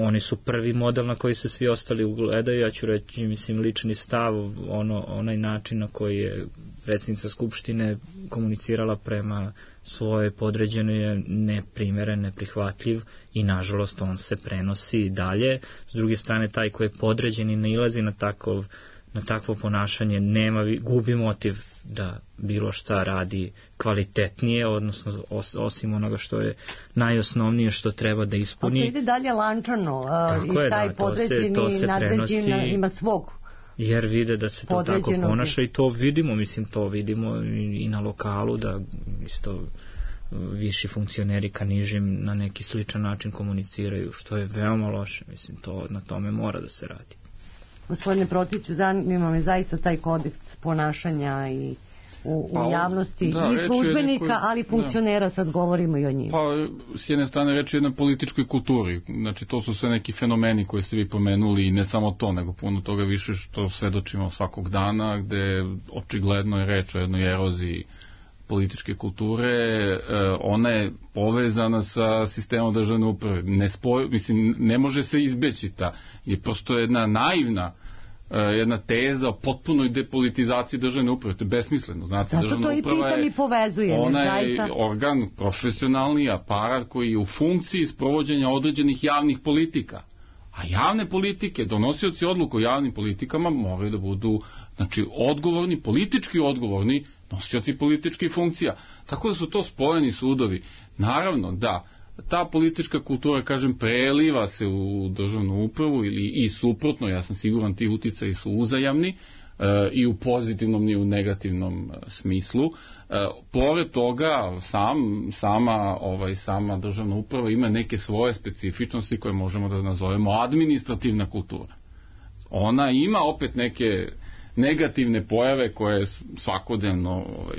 oni su prvi model na koji se svi ostali ugledaju. Ja ću reći, mislim, lični stav, ono, onaj način na koji je predsjednica Skupštine komunicirala prema svoje podređenoj je neprimeren, neprihvatljiv i nažalost on se prenosi dalje. S druge strane, taj koji je podređen i nailazi na takov na takvo ponašanje nema, gubi motiv da bilo šta radi kvalitetnije, odnosno os, osim onoga što je najosnovnije što treba da ispuni. A to ide dalje lančano uh, i taj da, podređeni to se, to nadređeni ima svog. Jer vide da se to tako ponaša i to vidimo, mislim to vidimo i, i na lokalu da isto viši funkcioneri ka nižim na neki sličan način komuniciraju, što je veoma loše. Mislim, to na tome mora da se radi. Gospodine Protiću, zanima me zaista taj kodeks ponašanja i u, pa, u javnosti da, i službenika, nekoj, ali funkcionera, da. Sad govorimo i o njima. Pa, s jedne strane reći o jednoj političkoj kulturi. Znači, to su sve neki fenomeni koje ste vi pomenuli i ne samo to, nego puno toga više što svedočimo svakog dana, gde očigledno je reč o jednoj eroziji političke kulture, e, ona je povezana sa sistemom državne uprave. Ne, spoj, mislim, ne može se izbeći ta. Je prosto jedna naivna jedna teza o potpunoj depolitizaciji državne uprave. To je besmisleno. Znate, zato državna to i uprava pitam je, i povezuje. ona je zaista... organ, profesionalni aparat koji je u funkciji sprovođenja određenih javnih politika. A javne politike, donosioci odluka o javnim politikama moraju da budu, znači, odgovorni, politički odgovorni nosioci političkih funkcija. Tako da su to spojeni sudovi. Naravno da ta politička kultura, kažem, preliva se u državnu upravu ili i suprotno, ja sam siguran ti uticaji su uzajamni, e, i u pozitivnom i u negativnom smislu. E, pored toga, sam, sama, ovaj, sama državna uprava ima neke svoje specifičnosti koje možemo da nazovemo administrativna kultura. Ona ima opet neke negativne pojave koje svakodnevno ovaj,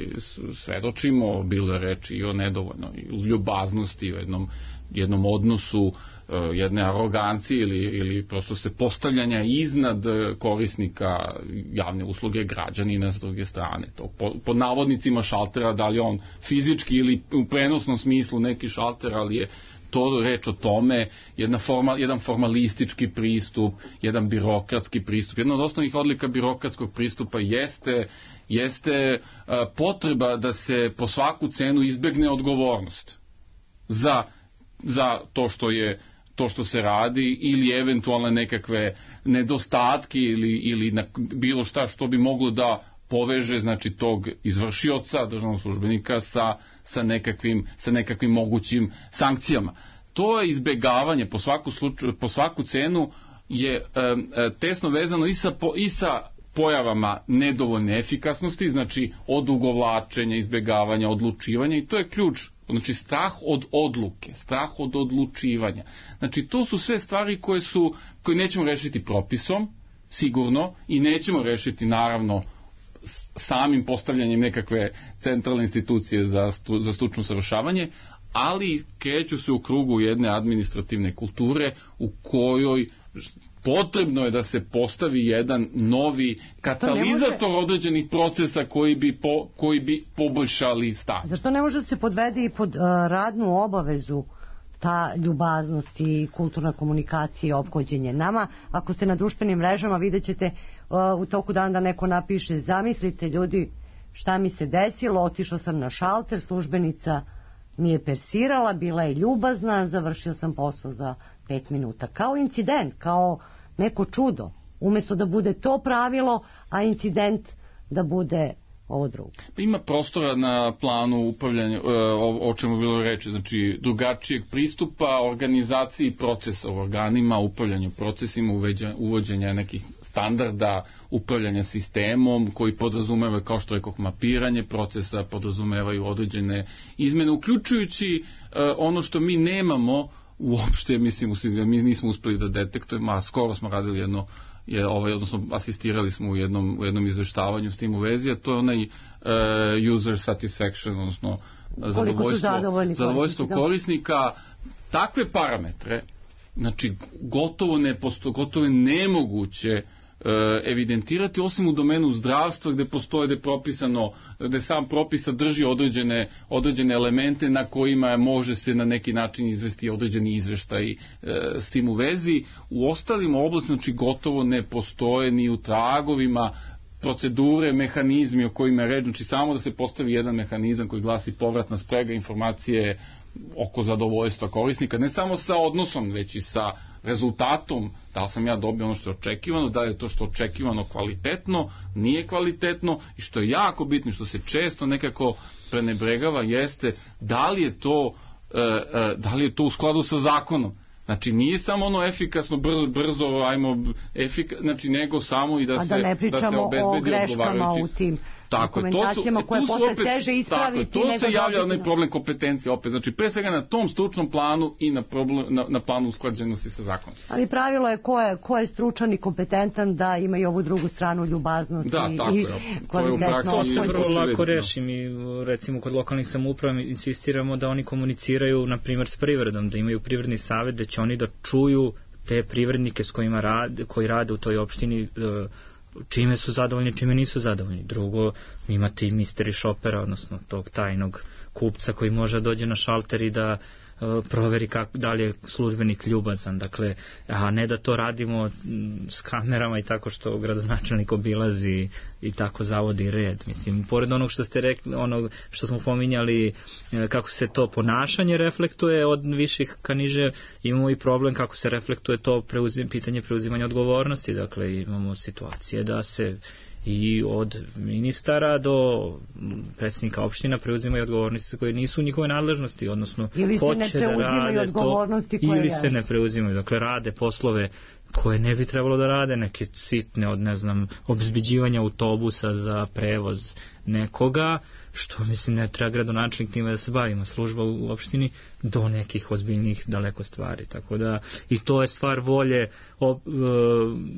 svedočimo, bilo je reči i o nedovoljnoj ljubaznosti, o jednom, jednom odnosu, uh, jedne arogancije ili, ili prosto se postavljanja iznad korisnika javne usluge građanina s druge strane. To po, pod navodnicima šaltera, da li on fizički ili u prenosnom smislu neki šalter, ali je to reč o tome, jedna formal, jedan formalistički pristup, jedan birokratski pristup. Jedna od osnovnih odlika birokratskog pristupa jeste, jeste uh, potreba da se po svaku cenu izbegne odgovornost za, za to što je to što se radi ili eventualne nekakve nedostatke ili, ili na, bilo šta što bi moglo da poveže, znači, tog izvršioca, državnog službenika sa, sa, nekakvim, sa nekakvim mogućim sankcijama. To je izbegavanje po svaku, slučaju, po svaku cenu je e, e, tesno vezano i sa, po, i sa pojavama nedovoljne efikasnosti, znači odugovlačenja, izbegavanja, odlučivanja, i to je ključ. Znači, strah od odluke, strah od odlučivanja. Znači, to su sve stvari koje su, koje nećemo rešiti propisom, sigurno, i nećemo rešiti, naravno, samim postavljanjem nekakve centralne institucije za, stu, za stručno savršavanje, ali kreću se u krugu jedne administrativne kulture u kojoj potrebno je da se postavi jedan novi katalizator može... određenih procesa koji bi, po, koji bi poboljšali stanje. Zašto ne može da se podvede i pod uh, radnu obavezu ta ljubaznost i kulturna komunikacija i ophođenje? Nama, ako ste na društvenim mrežama, vidjet ćete uh, u toku dana da neko napiše: zamislite ljudi šta mi se desilo, otišao sam na šalter, službenica nije persirala, bila je ljubazna, završio sam posao za pet minuta. Kao incident, kao neko čudo. Umjesto da bude to pravilo, a incident da bude ovo drugo. Ima prostora na planu upravljanja, o, o čemu je bilo reći, znači drugačijeg pristupa organizaciji procesa u organima, upravljanju procesima, uvođenja nekih standarda upravljanja sistemom koji podrazumeva, kao što rekoh, mapiranje procesa, podrazumevaju određene izmene, uključujući ono što mi nemamo uopšte, mislim, mi nismo uspeli da detektujemo, a skoro smo radili jedno, je, ovaj, odnosno asistirali smo u jednom, u jednom izveštavanju s tim u vezi, a to je onaj uh, user satisfaction, odnosno zadovoljstvo, zadovoljstvo korisnika. Takve parametre, znači gotovo, neposto, gotovo je nemoguće evidentirati, osim u domenu zdravstva gde postoje, gde je propisano, gde sam propis sadrži određene, određene elemente na kojima može se na neki način izvesti određeni izveštaj e, s tim u vezi. U ostalim oblastima, znači, gotovo ne postoje ni u tragovima procedure, mehanizmi o kojima je reč, znači samo da se postavi jedan mehanizam koji glasi povratna sprega informacije oko zadovoljstva korisnika, ne samo sa odnosom, već i sa rezultatom, da li sam ja dobio ono što je očekivano, da li je to što je očekivano kvalitetno, nije kvalitetno, i što je jako bitno, što se često nekako prenebregava, jeste da li je to, e, e, da li je to u skladu sa zakonom. Znači, nije samo ono efikasno, brzo, brzo ajmo, efika, znači, nego samo i da, da se, ne da se obezbedi odgovarajući. u tim Tako, dokumentacijama to su, koje tu su posle opet, teže ispraviti. Tako, to nego se javlja dobiti onaj na... problem kompetencije opet, znači pre svega na tom stručnom planu i na, problem, na, na planu usklađenosti sa zakonom. Ali pravilo je ko je, ko je stručan i kompetentan da ima i ovu drugu stranu ljubaznosti da, tako i je, kvalitetno. To se vrlo lako reši. Mi recimo kod lokalnih samouprava insistiramo da oni komuniciraju na primjer s privredom, da imaju privredni savjet, da će oni da čuju te privrednike s kojima rade, koji rade u toj opštini, čime su zadovoljni, čime nisu zadovoljni. Drugo, imate i mystery shoppera, odnosno tog tajnog kupca koji može da dođe na šalter i da uh, proveri kako, da li je službenik ljubazan, dakle, a ne da to radimo m, s kamerama i tako što gradonačelnik obilazi i tako zavodi red. Mislim, pored onog što ste rekli, onog što smo pominjali, kako se to ponašanje reflektuje od viših ka niže, imamo i problem kako se reflektuje to preuzim, pitanje preuzimanja odgovornosti, dakle, imamo situacije da se i od ministara do predsjednika opština preuzimaju odgovornosti koje nisu u njihove nadležnosti, odnosno ili hoće da rade to, ili se ne preuzimaju, dakle rade poslove koje ne bi trebalo da rade, neke sitne od, ne znam, obezbeđivanja autobusa za prevoz nekoga, što mislim ne treba gradonačelnik time da se bavimo, služba u opštini, do nekih ozbiljnih daleko stvari, tako da i to je stvar volje o, e,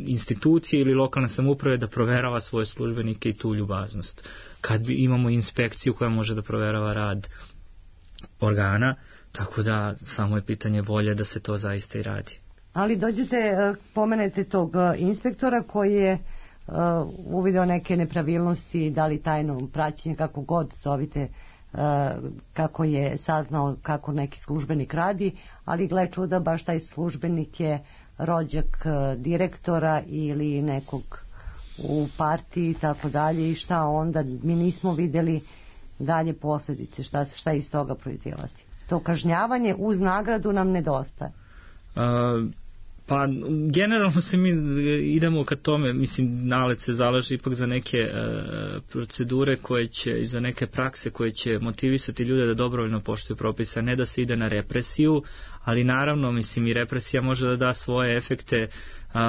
institucije ili lokalne samouprave da proverava svoje službenike i tu ljubaznost. Kad bi imamo inspekciju koja može da proverava rad organa, tako da samo je pitanje volje da se to zaista i radi. Ali dođete, pomenete tog inspektora koji je uh, uvideo neke nepravilnosti, da li tajno praćenje, kako god zovite, uh, kako je saznao kako neki službenik radi, ali gle čuda, baš taj službenik je rođak uh, direktora ili nekog u partiji i tako dalje, i šta onda, mi nismo videli dalje posljedice, šta, šta iz toga proizilazi. To kažnjavanje uz nagradu nam nedostaje. Uh, pa generalno se mi idemo ka tome, mislim, Nalet se zalaže ipak za neke uh, procedure koje će i za neke prakse koje će motivisati ljude da dobrovoljno poštuju propise, a ne da se ide na represiju, ali naravno, mislim, i represija može da da svoje efekte. Uh,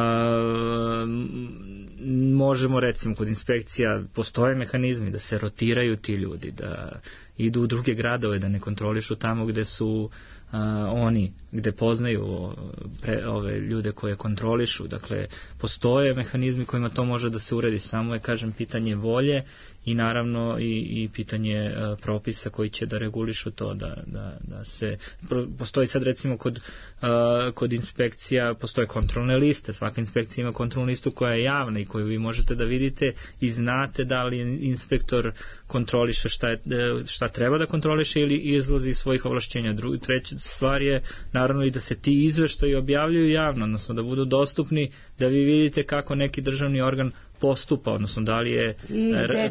možemo, recimo, kod inspekcija postoje mehanizmi da se rotiraju ti ljudi, da idu u druge gradove, da ne kontrolišu tamo gde su uh, oni, gde poznaju pre, ove ljude koje kontrolišu, dakle postoje mehanizmi kojima to može da se uredi, samo je, kažem, pitanje volje i naravno i, i pitanje uh, propisa koji će da regulišu to, da, da, da se pro, postoji sad recimo kod, uh, kod inspekcija postoje kontrolne liste, svaka inspekcija ima kontrolnu listu koja je javna i koju vi možete da vidite i znate da li inspektor kontroliše šta, je, šta treba da kontroliše ili izlazi iz svojih ovlašćenja. Drugi, treća stvar je naravno i da se ti izveštaji objavljuju javno, odnosno da budu dostupni, da vi vidite kako neki državni organ postupa, odnosno da li je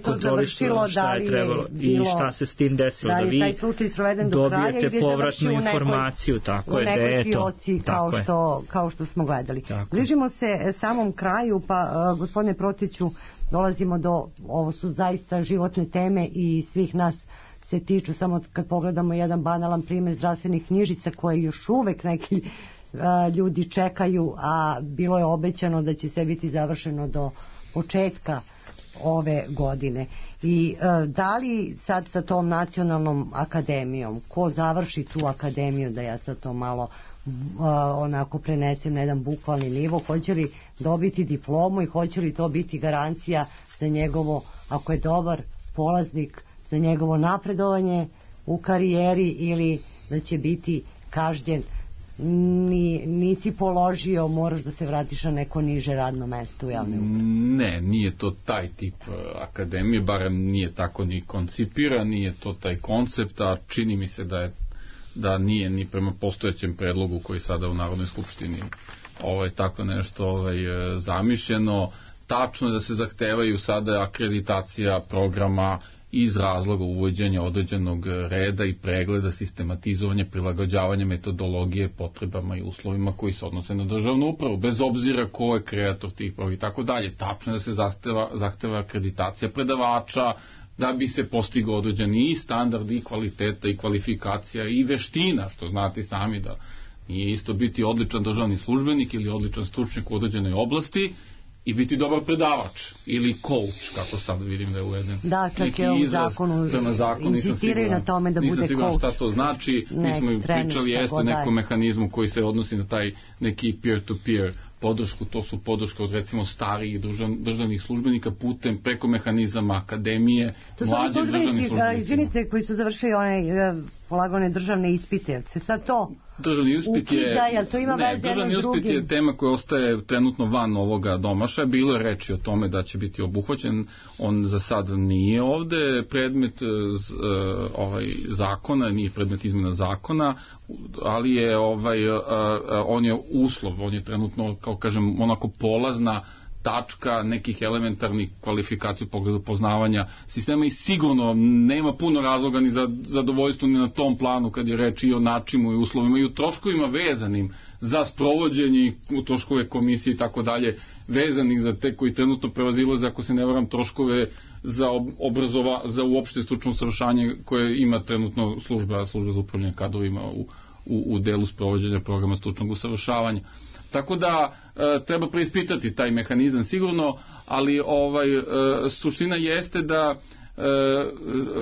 kontrolišeno šta je trebalo i šta se s tim desilo, da, da vi dobijete povratnu informaciju, tako je, da je to, kao što, kao što smo gledali. Tako. Bližimo se samom kraju, pa gospodine Protiću, dolazimo do, ovo su zaista životne teme i svih nas se tiču, samo kad pogledamo jedan banalan primjer zdravstvenih knjižica koje još uvek neki a, ljudi čekaju, a bilo je obećano da će sve biti završeno do početka ove godine. I e, da li sad sa tom nacionalnom akademijom, ko završi tu akademiju, da ja sad to malo e, onako prenesem na jedan bukvalni nivo, hoće li dobiti diplomu i hoće li to biti garancija za njegovo, ako je dobar polaznik, za njegovo napredovanje u karijeri, ili da će biti kažnjen, Ni, nisi položio, moraš da se vratiš na neko niže radno mesto u javnoj upravi? Ne, nije to taj tip akademije, barem nije tako ni koncipiran, nije to taj koncept, a čini mi se da je da nije ni prema postojećem predlogu koji sada u Narodnoj skupštini ovaj, tako nešto ovaj, zamišljeno. Tačno je da se zahtevaju sada akreditacija programa iz razloga uvođenja određenog reda i pregleda, sistematizovanja, prilagođavanja metodologije potrebama i uslovima koji se odnose na državnu upravu, bez obzira ko je kreator tih programa i tako dalje. Tačno je da se zahteva, zahteva akreditacija predavača, da bi se postigao određeni i standard i kvaliteta i kvalifikacija i veština, što znate sami da nije isto biti odličan državni službenik ili odličan stručnjak u određenoj oblasti i biti dobar predavač ili coach, kako sad vidim da je uveden. Da, čak je u zakonu insistiraju na tome da bude coach. Nisam siguran šta to znači. Mi smo pričali jeste o nekom mehanizmu koji se odnosi na taj neki peer-to-peer podršku, to su podrška od recimo starijih državnih službenika putem preko mehanizama akademije, mlađih državnih službenika. Izvinite, koji su završili one polagane državne ispite, se sad to Državni ispit je, ne, državni ispit je tema koja ostaje trenutno van ovoga domašaja. Bilo je reči o tome da će biti obuhvaćen, on za sad nije ovde predmet ovaj zakona, nije predmet izmjena zakona, ali je ovaj on je uslov, on je trenutno, kao kažem, onako polazna tačka nekih elementarnih kvalifikacija u pogledu poznavanja sistema i sigurno nema puno razloga ni za zadovoljstvo ni na tom planu kad je reč i o načinu i uslovima i u troškovima vezanim za sprovođenje u troškove komisije i tako dalje, vezanih za te koji trenutno prevazilaze, ako se ne varam, troškove za obrazova, za uopšte stručno usavršavanje koje ima trenutno služba, služba za upravljanje kadrovima u, u, u delu sprovođenja programa stručnog usavršavanja. Tako da e, treba preispitati taj mehanizam sigurno, ali ovaj e, suština jeste da, e,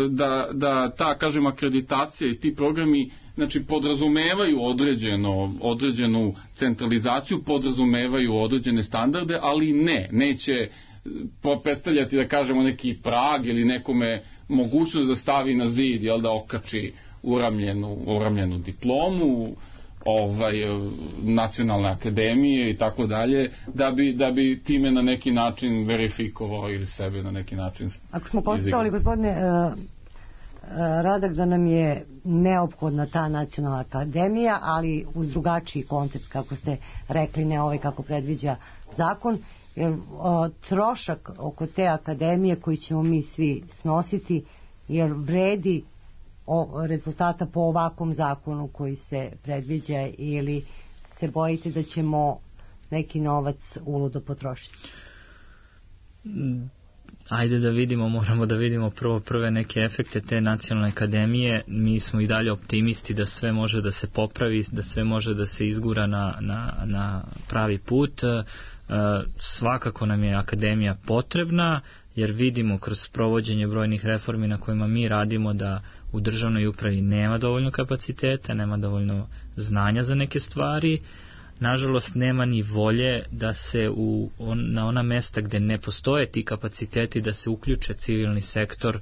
da, da ta, kažem, akreditacija i ti programi, znači, podrazumevaju određeno, određenu centralizaciju, podrazumevaju određene standarde, ali ne, neće predstavljati, da kažemo, neki prag ili nekome mogućnost da stavi na zid, jel, da okači uramljenu, uramljenu diplomu, ovaj nacionalne akademije i tako dalje, da bi da bi time na neki način verifikovao ili sebe na neki način. Ako smo konstatovali, gospodine uh, uh, Radak, da nam je neophodna ta nacionalna akademija, ali uz drugačiji koncept, kako ste rekli, ne ovaj kako predviđa zakon, jer uh, trošak oko te akademije koji ćemo mi svi snositi, jer vredi o rezultata po ovakvom zakonu koji se predviđa, ili se bojite da ćemo neki novac uludo potrošiti? Ajde da vidimo, moramo da vidimo prvo prve neke efekte te nacionalne akademije. Mi smo i dalje optimisti da sve može da se popravi, da sve može da se izgura na, na, na pravi put. E, svakako nam je akademija potrebna, jer vidimo kroz provođenje brojnih reformi na kojima mi radimo da u državnoj upravi nema dovoljno kapaciteta, nema dovoljno znanja za neke stvari. Nažalost, nema ni volje da se u, on, na ona mesta gde ne postoje ti kapaciteti da se uključe civilni sektor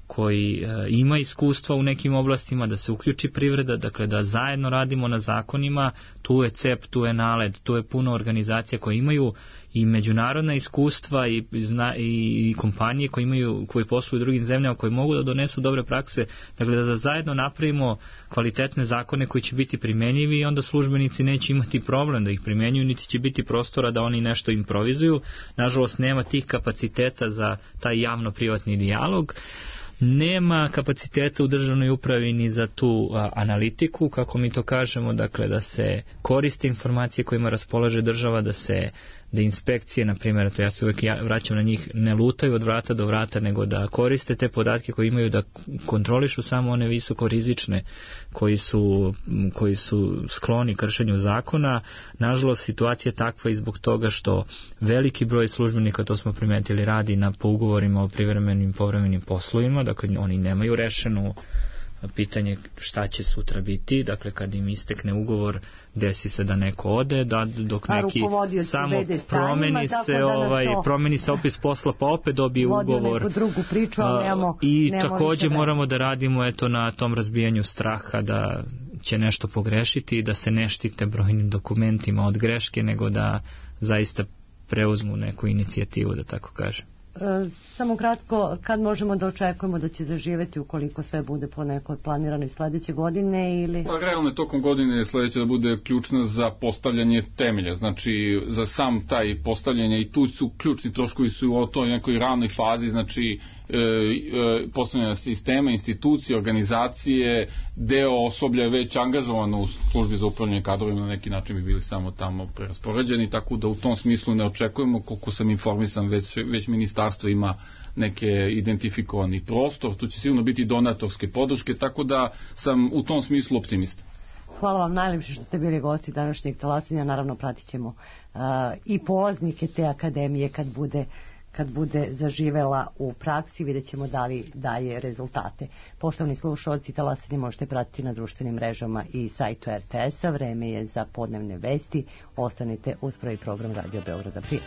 koji e, ima iskustva u nekim oblastima, da se uključi privreda, dakle da zajedno radimo na zakonima. Tu je C E P, tu je NALED, tu je puno organizacija koje imaju i međunarodna iskustva i, zna, i, i kompanije koje imaju, koje posluju u drugim zemljama, koje mogu da donesu dobre prakse, dakle da zajedno napravimo kvalitetne zakone koji će biti primenjivi i onda službenici neće imati problem da ih primenjuju, niti će biti prostora da oni nešto improvizuju. Nažalost, nema tih kapaciteta za taj javno-privatni dijalog. Nema kapaciteta u državnoj upravi ni za tu a, analitiku, kako mi to kažemo, dakle da se koriste informacije kojima raspolaže država, da se da inspekcije, na primjer, to ja se uvijek vraćam na njih, ne lutaju od vrata do vrata, nego da koriste te podatke koje imaju, da kontrolišu samo one visoko rizične koji su, koji su skloni kršenju zakona. Nažalost, situacija je takva i zbog toga što veliki broj službenika, to smo primetili, radi na po ugovorima o privremenim povremenim poslovima, dakle oni nemaju rešenu pitanje šta će sutra biti, dakle kad im istekne ugovor desi se da neko ode, da dok neki samo promeni se da ovaj promeni se opis posla pa opet dobije ugovor neku drugu priču, ali nemamo, i nemamo takođe moramo da radimo eto na tom razbijanju straha da će nešto pogrešiti i da se ne štite brojnim dokumentima od greške, nego da zaista preuzmu neku inicijativu, da tako kažem. E, samo kratko, kad možemo da očekujemo da će zaživeti ukoliko sve bude po nekoj planiranoj sledeće godine ili... Pa realno je tokom godine sledeće da bude ključna za postavljanje temelja, znači za sam taj postavljanje i tu su ključni troškovi su u toj nekoj ranoj fazi, znači e, e, postavljanja sistema, institucije, organizacije, deo osoblja je već angažovano u službi za upravljanje kadrovima, na neki način bi bili samo tamo preraspoređeni, tako da u tom smislu ne očekujemo, koliko sam informisan, već, već ministarstvo ima neke identifikovani prostor, tu će sigurno biti donatorske podrške, tako da sam u tom smislu optimista. Hvala vam najlepše što ste bili gosti današnjeg talasanja. Naravno pratit ćemo uh, i polaznike te akademije kad bude kad bude zaživela u praksi, vidjet ćemo da li daje rezultate. Poštovani slušalci, talasanje možete pratiti na društvenim mrežama i sajtu er te es-a. Vreme je za podnevne vesti. Ostanite uz prvi program Radio Beograda. Prije.